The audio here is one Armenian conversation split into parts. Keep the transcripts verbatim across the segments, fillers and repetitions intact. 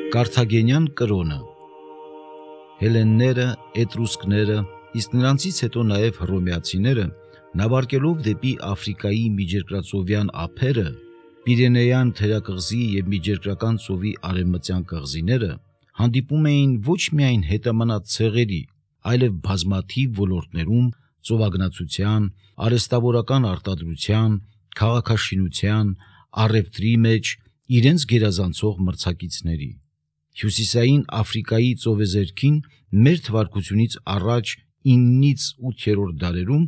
Կարթագենյան կրոնը հելենները, էտրուսկները, իսկ նրանցից հետո նաև հռոմեացիները նավարկելով դեպի Աֆրիկայի միջերկրածովյան ափերը, Պիրենեյան թերակղզի և միջերկրական ծովի արևմտյան կղզիները հանդիպում էին ոչ միայն հետամնաց ցեղերի, այլև բազմաթիվ ոլորտներում ծովագնացության, արհեստավորական արտադրության, քաղաքաշինության, առևտրի մեջ իրենց գերազանցող մրցակիցների։ Հյուսիսային Աֆրիկայի ծովեզերքին մեր թվարկությունից առաջ իննից ութերորդ դարերում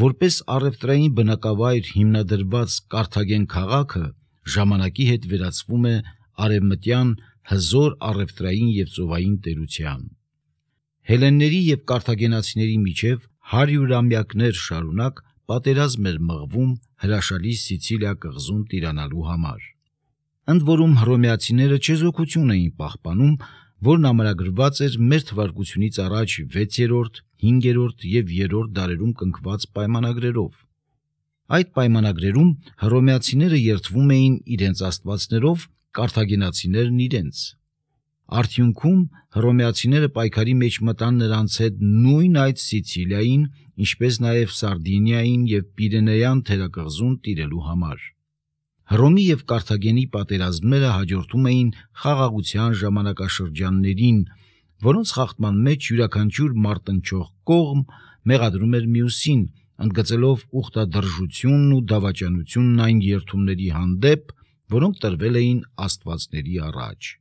որպես առևտրային բնակավայր հիմնադրված Կարթագեն քաղաքը ժամանակի հետ վերածվում է արևմտյան հզոր առևտրային և ծովային տերության։ Հելենների և կարթագենացիների միջև հարյուրամյակներ շարունակ պատերազմ էր մղվում հրաշալի Սիցիլիա կղզում տիրանալու համար։ Ընդ որում հռոմեացիները չեզոքություն էին պահպանում, որն ամրագրված էր մեր թվարկությունից առաջ վեցերորդ, հինգերորդ և երրորդ դարերում կնքված պայմանագրերով։ Այդ պայմանագրերում հռոմեացիները երդվում էին իրենց աստվածներով, կարթագենացիներն իրենց։ Արդյունքում հռոմեացիները պայքարի մեջ մտան նրանց հետ նույն այդ Սիցիլիային, ինչպես նաև Սարդինիային և Պիրենեյան թերակղզում տիրելու համար։ Հռոմի և Կարթագենի պատերազմները հաջորդում էին խաղաղության ժամանակաշրջաններին, որոնց խախտման մեջ յուրաքանչյուր մարտնչող կողմ մեղադրում էր մյուսին, ընդգծելով ուխտադրժությունն ու դավաճանությունն այն երդումների հանդեպ, որոնք տրվել էին աստվածների առաջ։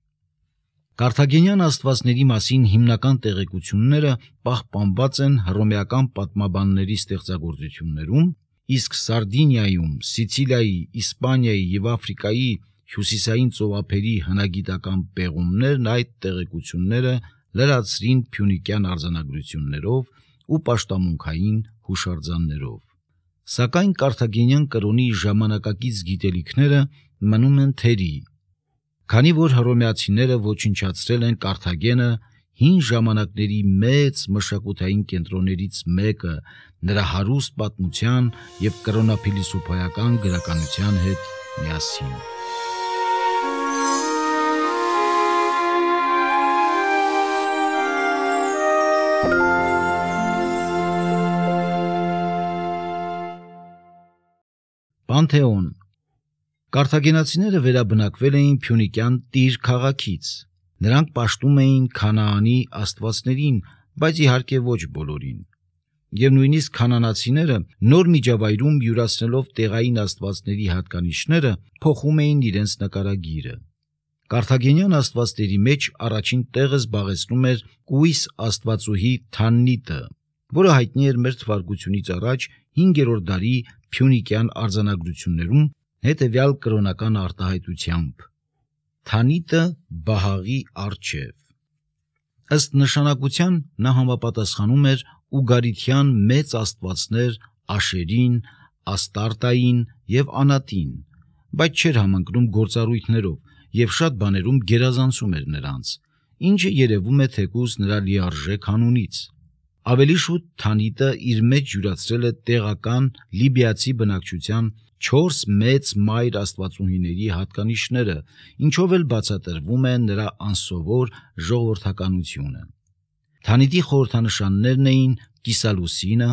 Կարթագենյան աստվածների մասին հիմնական տեղեկությունները պահպանված են հռոմեական պատմաբանների ստեղծագործություններում, իսկ Սարդինիայում, Սիցիլիայի, Իսպանիայի և Աֆրիկայի հյուսիսային ծովափերի հնագիտական պեղումներն այդ տեղեկությունները լրացրին փյունիկյան արձանագրություններով ու պաշտամունքային հուշարձաններով։ Սակայն կարթագենյան կրոնի ժամանակակից գիտելիքները մնում են թերի, քանի որ հռոմեացիները ոչնչացրել են Կարթագենը հին ժամանակների մեծ մշակութային կենտրոններից մեկը նրա հարուստ պատմության և կրոնափիլիսոփայական գրականության հետ միասին։ Պանթեոն Կարթագենացիները վերաբնակվել էին Փյունիկյան Տիր քաղաքից։ Նրանք պաշտում էին Քանաանի աստվածներին, բայց իհարկե ոչ բոլորին։ Եվ նույնիսկ քանանացիները նոր միջավայրում յուրացնելով տեղային աստվածների հատկանիշները փոխում էին իրենց նկարագիրը։ Կարթագենյան աստվածների մեջ առաջին տեղը զբաղեցնում էր կույս աստվածուհի Թաննիտը, որը հայտնի էր մեր թվարկությունից առաջ հինգերորդ դարի փյունիկյան արձանագրություններում հետևյալ կրոնական արտահայտությամբ. Թանիտը Բահաղի առջև։ Ըստ նշանակության նա համապատասխանում էր ուգարիթյան մեծ աստվածներ Աշերին, Աստարտային և Անատին, բայց չէր համընկնում գործառույթներով և շատ բաներում գերազանցում էր նրանց, ինչը երևում է թեկուզ նրա լիարժեք անունից։ Ավելի շուտ Թանիտը իր մեջ յուրացրել է տեղական լիբիացի բնակչության չորս մեծ մայր աստվածուհիների հատկանիշները, ինչով էլ բացատրվում է նրա անսովոր ժողովրդականությունը։ Թանիտի խորհրդանշաններն էին կիսալուսինը,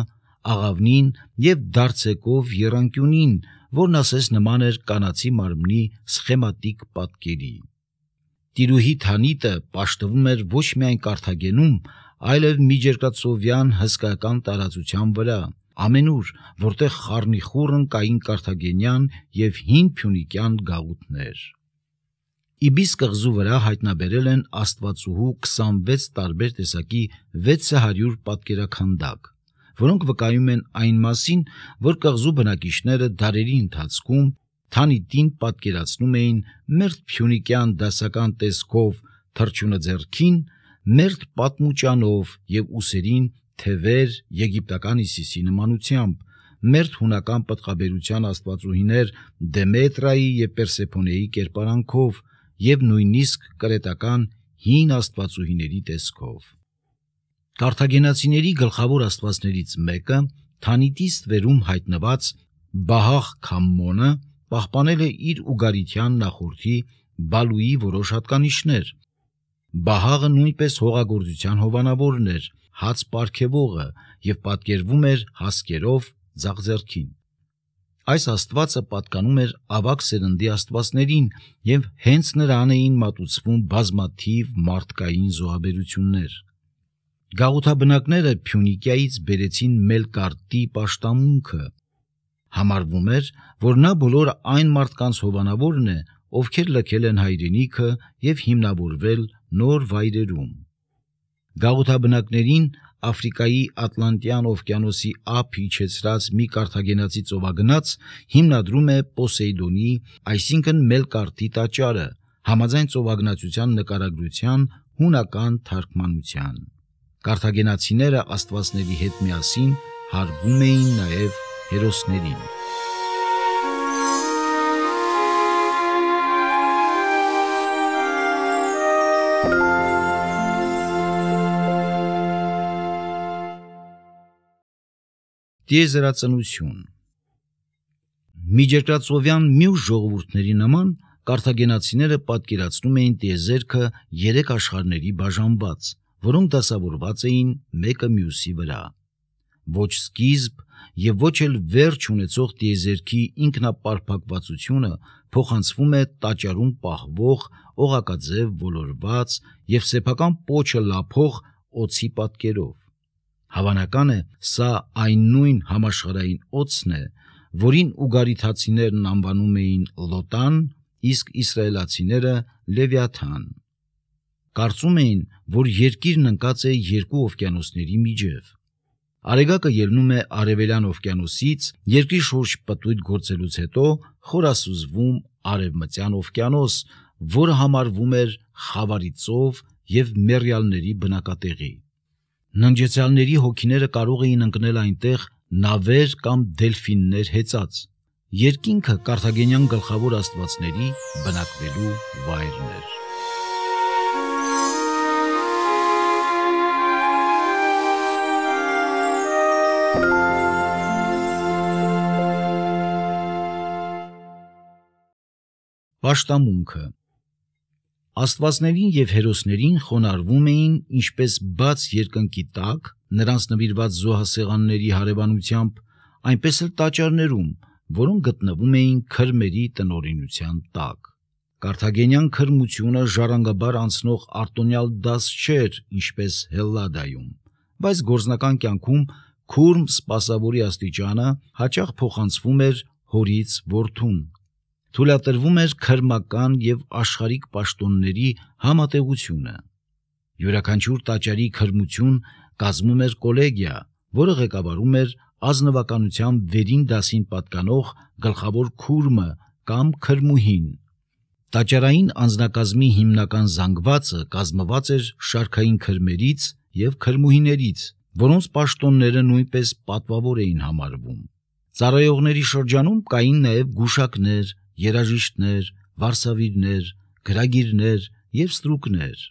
աղավնին և դարձեկով եռանկյունին, որն ասես նման էր կանացի մարմնի սխեմատիկ պատկերի։ Տիրուհի Թանիտը պաշտվում էր ոչ միայն Կարթագենում, այլև միջերկրածովյան հսկայական տարածության վրա, ամենուր, որտեղ խառնիխուռն կային կարթագենյան և հին փյունիկյան գաղութներ։ Իբիս կղզու վրա հայտնաբերել են աստվածուհու քսանվեց տարբեր տեսակի վեց հարյուր պատկերաքանդակ, որոնք վկայում են այն մասին, որ կղզու բնակիչները դարերի ընթացքում Թանիտին պատկերացնում էին մերթ փյունիկյան դասական տեսքով թռչունը ձեռքին, մերթ պատմուճանով և ուսերին թևեր եգիպտական Իսիսի նմանությամբ, մերթ հունական պտղաբերության աստվածուհիներ Դեմետրայի և Պերսեփոնեի կերպարանքով և նույնիսկ կրետական հին աստվածուհիների տեսքով։ Կարթագենացիների գլխավոր աստվածներից մեկը Թանիտի ստվերում հայտնված Բահաղ Քամմոնը պահպանել է իր ուգարիթյան նախորդի Բալուի որոշ հատկանիշներ, Բահաղը նույնպես հողագործության հովանավորն էր, հաց պարգևողը և պատկերվում էր հասկերով ձախ ձեռքին։ Այս աստվածը պատկանում էր ավագ սերնդի աստվածներին և հենց նրան էին մատուցվում բազմաթիվ մարդկային զոհաբերություններ։ Գաղութաբնակները Փյունիկիայից բերեցին Մելկարտի պաշտամունքը։ Համարվում էր, որ նա բոլոր այն մարդկանց հովանավորն է, ովքեր լքել են հայրենիքը և հիմնավորվել նոր վայրերում։ Գաղութաբնակներին Աֆրիկայի Ատլանտյան օվկիանոսի ափ իջեցրած մի կարթագենացի ծովագնաց հիմնադրում է Պոսեյդոնի, այսինքն Մելկարտի տաճարը, համաձայն ծովագնացության նկարագրության հունական թարգմանության։ Կարթագենացիները աստվածների հետ միասին հարվում էին նաև հերոսներին։ Տիեզերածնություն։ Միջերկրածովյան մյուս ժողովուրդների նման կարթագենացիները պատկերացնում էին տիեզերքը երեք աշխարհների բաժանված, որոնք դասավորված էին մեկը մյուսի վրա։ Ոչ սկիզբ և ոչ էլ վերջ ունեցող տիեզերքի ինքնապարփակվածությունը փոխանցվում է տաճարում պահվող օղակաձև ոլորված և սեփական պոչը լափող օձի պատկերով։ Հավանական է, սա այն նույն համաշխարհային օձն է, որին ուգարիթացիներն անվանում էին Լոտան, իսկ իսրայելացիները Լևիաթան։ Կարծում էին, որ երկիրն ընկած է երկու օվկիանոսների միջև։ Արեգակը ելնում է Արևելյան օվկիանոսից, երկրի շուրջ պտույտ գործելուց հետո խորասուզվում Արևմտյան օվկիանոս, որը համարվում էր Խավարի ծով և մեռյալների բնակատեղի։ Ննջեցյալների հոգիները կարող էին ընկնել այնտեղ նավեր կամ դելֆիններ հեծած։ Երկինքը կարթագենյան գլխավոր աստվածների բնակվելու վայրն էր։ Պաշտամունքը։ Աստվածներին և հերոսներին խոնարհվում էին ինչպես բաց երկնքի տակ, նրանց նվիրված զոհասեղանների հարևանությամբ, այնպես էլ տաճարներում, որոնք գտնվում էին քրմերի տնօրինության տակ։ Կարթագենյան քրմությունը ժառանգաբար անցնող արտոնյալ դաս չէր, ինչպես Հելլադայում, բայց գործնական կյանքում քուրմ սպասավորի աստիճանը հաճախ փոխանցվում էր հորից որդուն։ Թույլատրվում էր քրմական և աշխարհիկ պաշտոնների համատեղությունը։ Յուրաքանչյուր տաճարի քրմություն կազմում էր կոլեգիա, որը ղեկավարում էր ազնվականության վերին դասին պատկանող գլխավոր քուրմը կամ քրմուհին։ Տաճարային անձնակազմի հիմնական զանգվածը կազմված էր շարքային քրմերից և քրմուհիներից, որոնց պաշտոնները նույնպես պատվավոր էին համարվում։ Ծառայողների շրջանում կային նաև գուշակներ, երաժիշտներ, վարսավիրներ, գրագիրներ և ստրուկներ։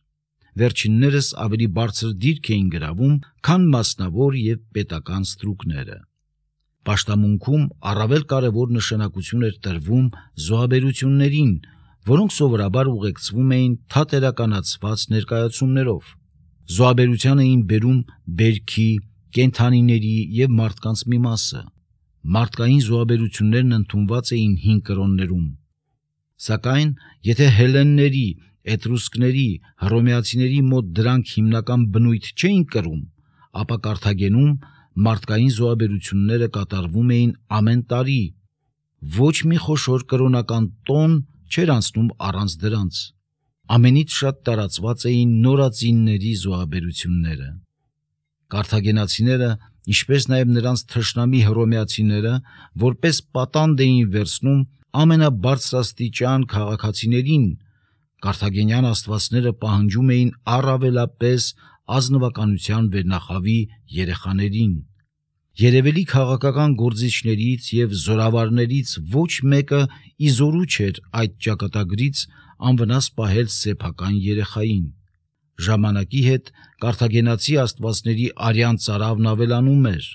Վերջիններս ավելի բարձր դիրք էին գրավում, քան մասնավոր և պետական ստրուկները։ Պաշտամունքում առավել կարևոր նշանակություն էր տրվում զոհաբերություններին, որոնք սովորաբար ուղեկցվում էին թատերականացված ներկայացումներով։ Զոհաբերության էին բերում բերքի, կենդանիների և մարդկանց մի մասը։ Մարդկային զոհաբերություններն ընդունված էին հին կրոններում։ Սակայն, եթե հելլենների, էտրուսկների, հռոմեացիների մոտ դրանք հիմնական բնույթ չէին կրում, ապա Կարթագենում մարդկային զոհաբերությունները կատարվում էին ամեն տարի։ Ոչ մի խոշոր կրոնական տոն չէր անցնում առանց դրանց։ Ամենից շատ տարածված էին նորածինների զոհաբերությունները։ Կարթագենացիները, ինչպես նաև նրանց թշնամի հռոմեացիները, որպես պատանդ էին վերցնում ամենաբարձրաստիճան քաղաքացիներին, կարթագենյան աստվածները պահանջում էին առավելապես ազնվականության վերնախավի երեխաներին։ Երևելի քաղաքական գործիչներից և զորավարներից ոչ մեկը իզորու չէր այդ ճակատագրից անվնաս պահել սեփական երեխային։ Ժամանակի հետ կարթագենացի աստվածների արյան ծարավն ավելանում էր։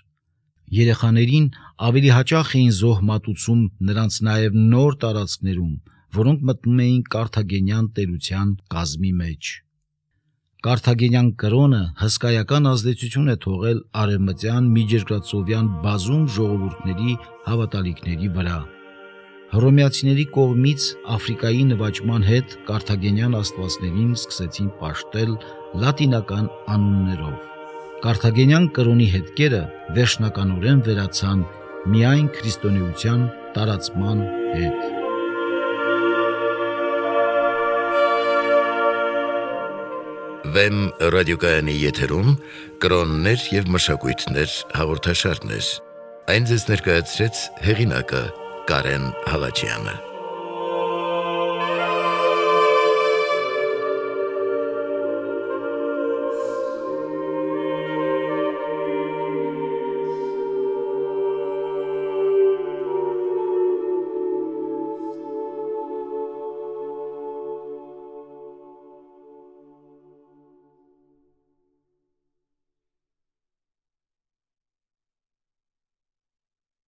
Երեխաներին ավելի հաճախ էին զոհ մատուցում նրանց նաև նոր տարածքներում, որոնք մտնում էին կարթագենյան տերության կազմի մեջ։ Կարթագենյան կրոնը հսկայական ազդեցություն է թողել արևմտյան միջերկրածովյան բազում ժողովուրդների հավատալիքների վրա։ Հռոմեացիների կողմից Աֆրիկայի նվաճման հետ կարթագենյան աստվածներին սկսեցին պաշտել լատինական անուններով։ Կարթագենյան կրոնի հետքերը վերջնականորեն վերացան միայն քրիստոնեության տարածման հետ։ Վեմ ռադիոկայանի եթերում կրոններ և մշակույթներ հաղորդաշարներ։ Այն ձեզ ներկայացրեց հեղինակը Կարեն Հալաջյանը։